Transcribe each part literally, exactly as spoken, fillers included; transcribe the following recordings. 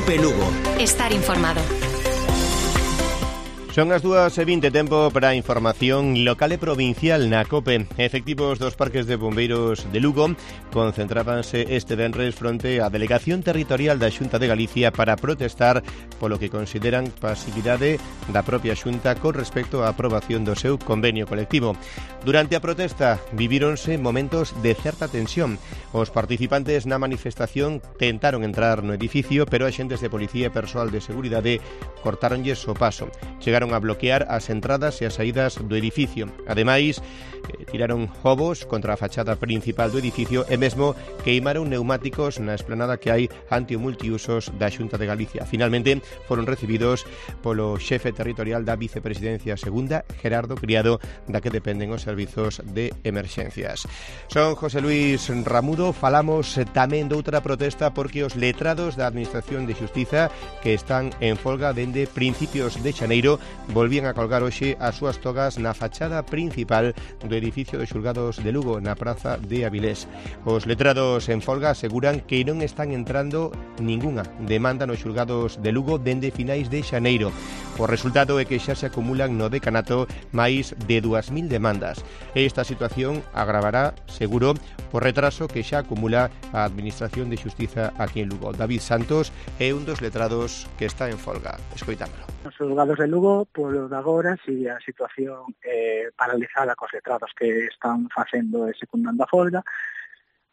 COPE Lugo. Estar informado. Son as dúas e vinte, tempo para a información local e provincial na COPE. Efectivos dos parques de bombeiros de Lugo concentrábanse este venres fronte á Delegación Territorial da Xunta de Galicia para protestar polo que consideran pasividade da propia Xunta con respecto á aprobación do seu convenio colectivo. Durante a protesta vivíronse momentos de certa tensión. Os participantes na manifestación tentaron entrar no edificio, pero axentes de policía e persoal de seguridade cortáronlles o paso. Chegaron a bloquear as entradas e as saídas do edificio. Ademais, eh, tiraron ovos contra a fachada principal do edificio e mesmo queimaron neumáticos na esplanada que hai ante o multiusos da Xunta de Galicia. Finalmente, foron recibidos polo xefe territorial da Vicepresidencia Segunda, Gerardo Criado, da que dependen os servizos de emerxencias. Son José Luis Ramudo. Falamos tamén doutra protesta porque os letrados da Administración de Xustiza, que están en folga dende principios de xaneiro, volvían a colgar hoxe as súas togas na fachada principal do edificio dos xulgados de Lugo, na praza de Avilés. Os letrados en folga aseguran que non están entrando ningunha demanda nos xulgados de Lugo dende finais de xaneiro. O resultado é que xa se acumulan no decanato máis de dúas mil demandas. Esta situación agravará, seguro, por retraso que xa acumula a Administración de Xustiza aquí en Lugo. David Santos é un dos letrados que está en folga. Escoitámolo. Os xulgados de Lugo, polo de agora, sigue a situación eh, paralizada cos letrados que están facendo e secundando a folga,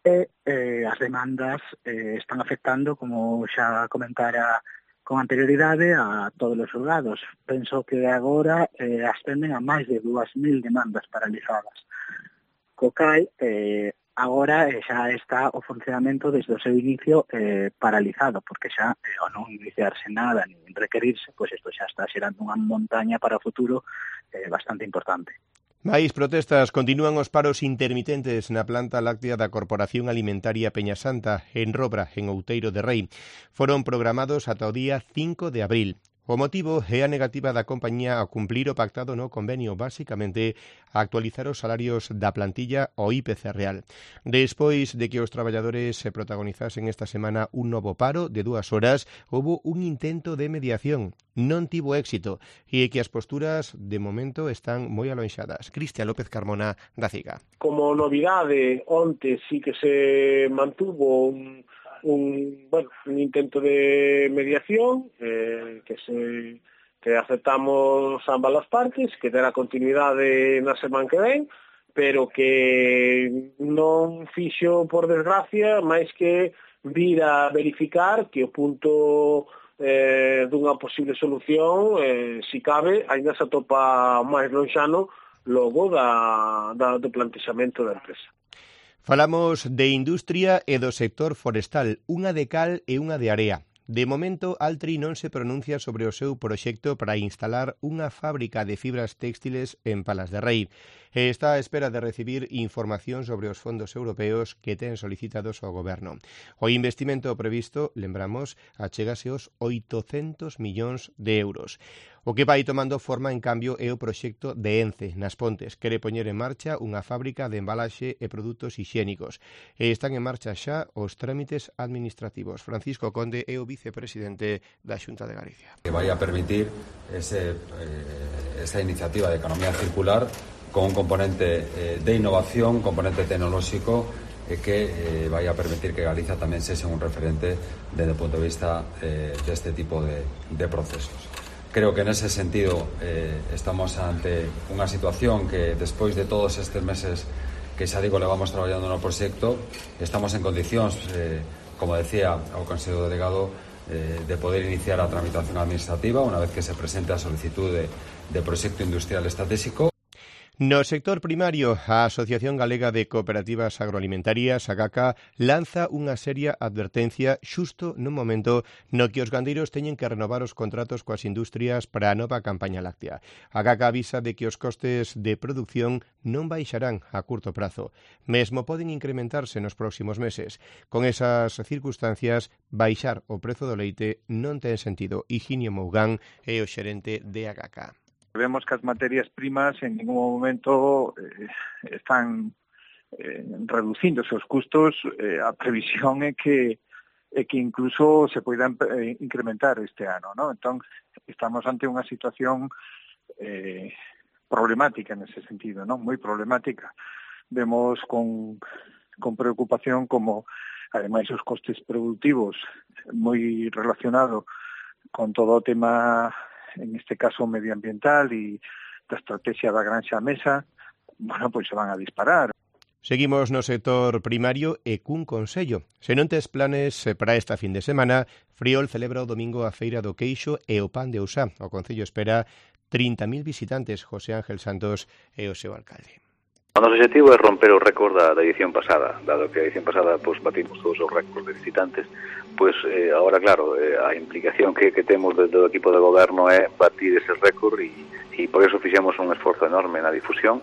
e eh, as demandas eh, están afectando, como xa comentara con anterioridade, a todos os xulgados. Penso que agora eh, ascenden a máis de dúas mil demandas paralizadas. Co cal, eh, agora eh, xa está o funcionamento desde o seu inicio eh, paralizado, porque xa, eh, ao non iniciarse nada, nin requerirse, pois isto xa está xerando unha montaña para o futuro eh, bastante importante. Mais protestas, continúan os paros intermitentes na planta láctea da Corporación Alimentaria Peñasanta, en Robra, en Outeiro de Rei. Foron programados ata o día cinco de abril. O motivo é a negativa da compañía a cumplir o pactado no convenio, basicamente a actualizar os salarios da plantilla ao I P C real. Despois de que os traballadores se protagonizasen esta semana un novo paro de dúas horas, houbo un intento de mediación. Non tivo éxito e que as posturas de momento están moi alonxadas. Cristian López Carmona, da CIGA. Como novidade, onte sí que se mantuvo un un, bueno, un intento de mediación eh, que se que aceptamos ambas as partes, que terá continuidade na semana que ven, pero que non fixo, por desgracia, máis que vir a verificar que o punto eh, dunha posible solución, eh, si cabe, ainda se atopa máis lonxano logo da, da, do plantexamento da empresa. Falamos de industria e do sector forestal, unha de cal e unha de area. De momento, Altri non se pronuncia sobre o seu proxecto para instalar unha fábrica de fibras téxtiles en Palas de Rei. E está á espera de recibir información sobre os fondos europeos que ten solicitados ao goberno. O investimento previsto, lembramos, achégase aos oitocentos millóns de euros. O que vai tomando forma, en cambio, é o proxecto de Ence, nas Pontes. Quere poñer en marcha unha fábrica de embalaxe e produtos hixiénicos. E están en marcha xa os trámites administrativos. Francisco Conde é o vicepresidente da Xunta de Galicia. Que vai a permitir ese, eh, esa iniciativa de economía circular con un componente eh, de innovación, componente tecnolóxico, e que eh, vai a permitir que Galicia tamén sexa un referente desde o punto de vista eh, deste tipo de, de procesos. Creo que en ese sentido eh, estamos ante unha situación que despois de todos estes meses que xa digo levamos traballando no proxecto, estamos en condicións, eh, como decía o Consello Delegado, eh, de poder iniciar a tramitación administrativa unha vez que se presente a solicitude de proxecto industrial estratégico. No sector primario, a Asociación Galega de Cooperativas Agroalimentarias, AGACA, lanza unha seria advertencia xusto nun momento no que os gandeiros teñen que renovar os contratos coas industrias para a nova campaña láctea. AGACA avisa de que os costes de produción non baixarán a curto prazo, mesmo poden incrementarse nos próximos meses. Con esas circunstancias, baixar o prezo do leite non ten sentido. Higinio Mougán é o xerente de AGACA. Vemos que as materias primas en ningún momento eh, están eh, reducindo os seus custos. Eh, a previsión é que e que incluso se poidan eh, incrementar este ano, ¿no? Entón, estamos ante unha situación eh, problemática nese sentido, ¿no? Moi problemática. Vemos con, con preocupación como, ademais, os costes productivos moi relacionado con todo o tema, en este caso, medioambiental e da estrategia da granxa a mesa, bueno, pois se van a disparar. Seguimos no sector primario e cun consello. Se non tes planes para esta fin de semana, Friol celebra o domingo a Feira do Queixo e o Pan de Ousá. O concello espera trinta mil visitantes. José Ángel Santos é o seu alcalde. O noso objetivo é romper o récord da, da edición pasada, dado que a edición pasada pues, batimos todos os récords de visitantes, pois pues, eh, agora, claro, eh, a implicación que, que temos do, do equipo de goberno é batir ese récord e, e por eso fixemos un esforzo enorme na difusión.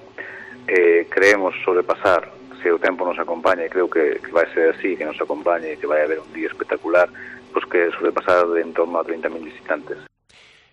Eh, creemos sobrepasar, se o tempo nos acompaña, e creo que, que vai ser así, que nos acompañe e que vai haber un día espectacular, pois que sobrepasar de en torno a trinta mil visitantes.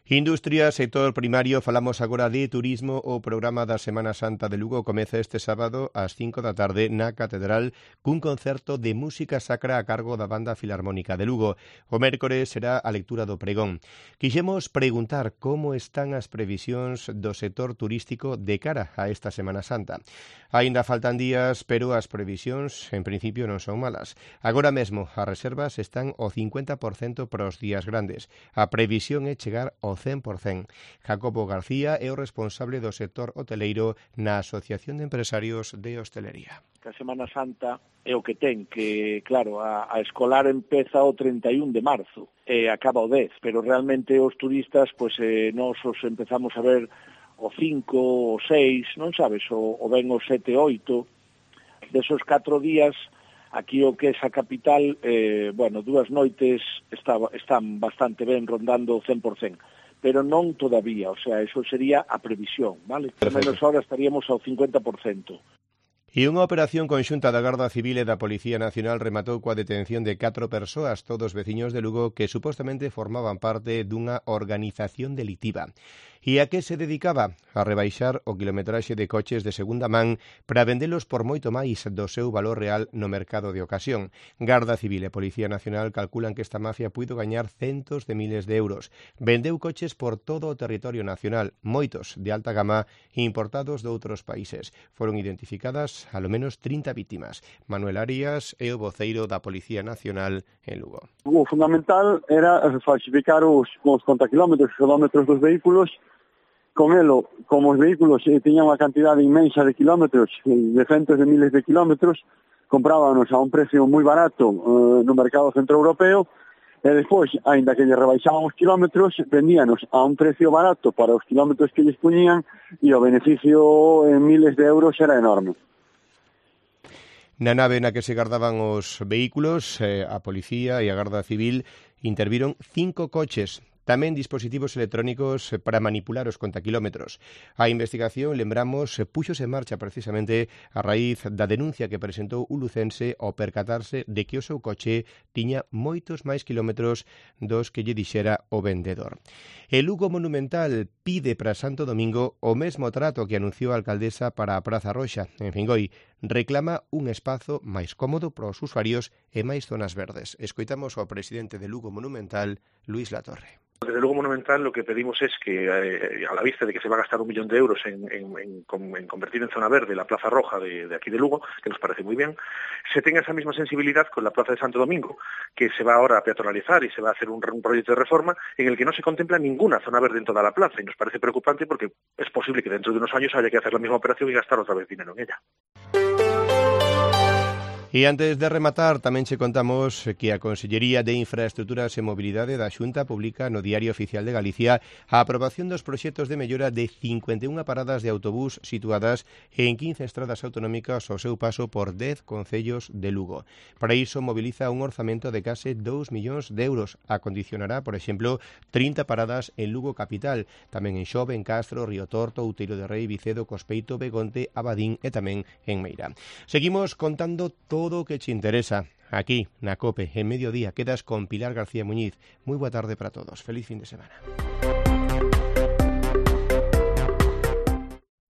Industria, sector primario, falamos agora de turismo. O programa da Semana Santa de Lugo comeza este sábado ás cinco da tarde na Catedral cun concerto de música sacra a cargo da Banda Filarmónica de Lugo. O mércores será a lectura do pregón. Quixemos preguntar como están as previsións do sector turístico de cara a esta Semana Santa. Aínda faltan días, pero as previsións en principio non son malas. Agora mesmo as reservas están ao cincuenta por cento para os días grandes. A previsión é chegar ao cen por cento. Jacobo García é o responsable do sector hoteleiro na Asociación de Empresarios de Hostelería. A Semana Santa é o que ten, que, claro, a, a escolar empeza o trinta e un de marzo e acaba o dez, pero realmente os turistas, pois, eh, nos os empezamos a ver o cinco, o seis, non sabes, o, o ben o sete, oito, desos catro días, aquí o que é a capital, eh, bueno, dúas noites está, están bastante ben, rondando o cen por cento. Pero non todavía, o sea, eso sería a previsión, vale? Por menos ahora estaríamos ao cincuenta por cento. E unha operación conxunta da Garda Civil e da Policía Nacional rematou coa detención de catro persoas, todos veciños de Lugo, que supostamente formaban parte dunha organización delictiva. E a que se dedicaba? A rebaixar o quilometraxe de coches de segunda man para vendelos por moito máis do seu valor real no mercado de ocasión. Garda Civil e Policía Nacional calculan que esta mafia puido gañar centos de miles de euros. Vendeu coches por todo o territorio nacional, moitos de alta gama importados de outros países. Foron identificadas alo menos trinta vítimas. Manuel Arias é o voceiro da Policía Nacional en Lugo. O fundamental era falsificar os, os contakilómetros, os kilómetros dos vehículos. Con elo, como os vehículos eh, tiñan unha cantidade inmensa de kilómetros, de centos de miles de kilómetros, comprábanos a un precio moi barato eh, no mercado centroeuropeo, e despois, aínda que lle rebaixaban os kilómetros, vendíanos a un precio barato para os kilómetros que lles puñían, e o beneficio en miles de euros era enorme. Na nave na que se gardaban os vehículos, eh, a Policía e a Garda Civil interviron cinco coches, tamén dispositivos electrónicos para manipular os contakilómetros. A investigación, lembramos, puxose en marcha precisamente a raíz da denuncia que presentou un lucense ao percatarse de que o seu coche tiña moitos máis kilómetros dos que lle dixera o vendedor. El Lugo Monumental pide para Santo Domingo o mesmo trato que anunciou a alcaldesa para a Praza Roxa, en Fingoi. Reclama un espazo máis cómodo para os usuarios e máis zonas verdes. Escoitamos ao presidente de Lugo Monumental, Luis Latorre. Desde Lugo Monumental lo que pedimos es que, eh, a la vista de que se va a gastar un millón de euros en, en, en, en convertir en zona verde la Plaza Roja de, de aquí de Lugo, que nos parece muy bien, se tenga esa misma sensibilidad con la Plaza de Santo Domingo, que se va ahora a peatonalizar y se va a hacer un, un proyecto de reforma en el que no se contempla ninguna zona verde en toda la plaza, y nos parece preocupante porque es posible que dentro de unos años haya que hacer la misma operación y gastar otra vez dinero en ella. E antes de rematar, tamén che contamos que a Consellería de Infraestructuras e Mobilidade da Xunta publica no Diario Oficial de Galicia a aprobación dos proxectos de mellora de cincuenta e unha paradas de autobús situadas en quince estradas autonómicas ao seu paso por dez concellos de Lugo. Para iso moviliza un orzamento de case dous millóns de euros. Acondicionará, por exemplo, trinta paradas en Lugo capital, tamén en Xove, en Castro, Río Torto, Outeiro de Rei, Vicedo, Cospeito, Begonte, Abadín e tamén en Meira. Seguimos contando todo todo o que te interesa aquí na COPE en Mediodía. Quedas con Pilar García Muñiz. Moi boa tarde para todos. Feliz fin de semana.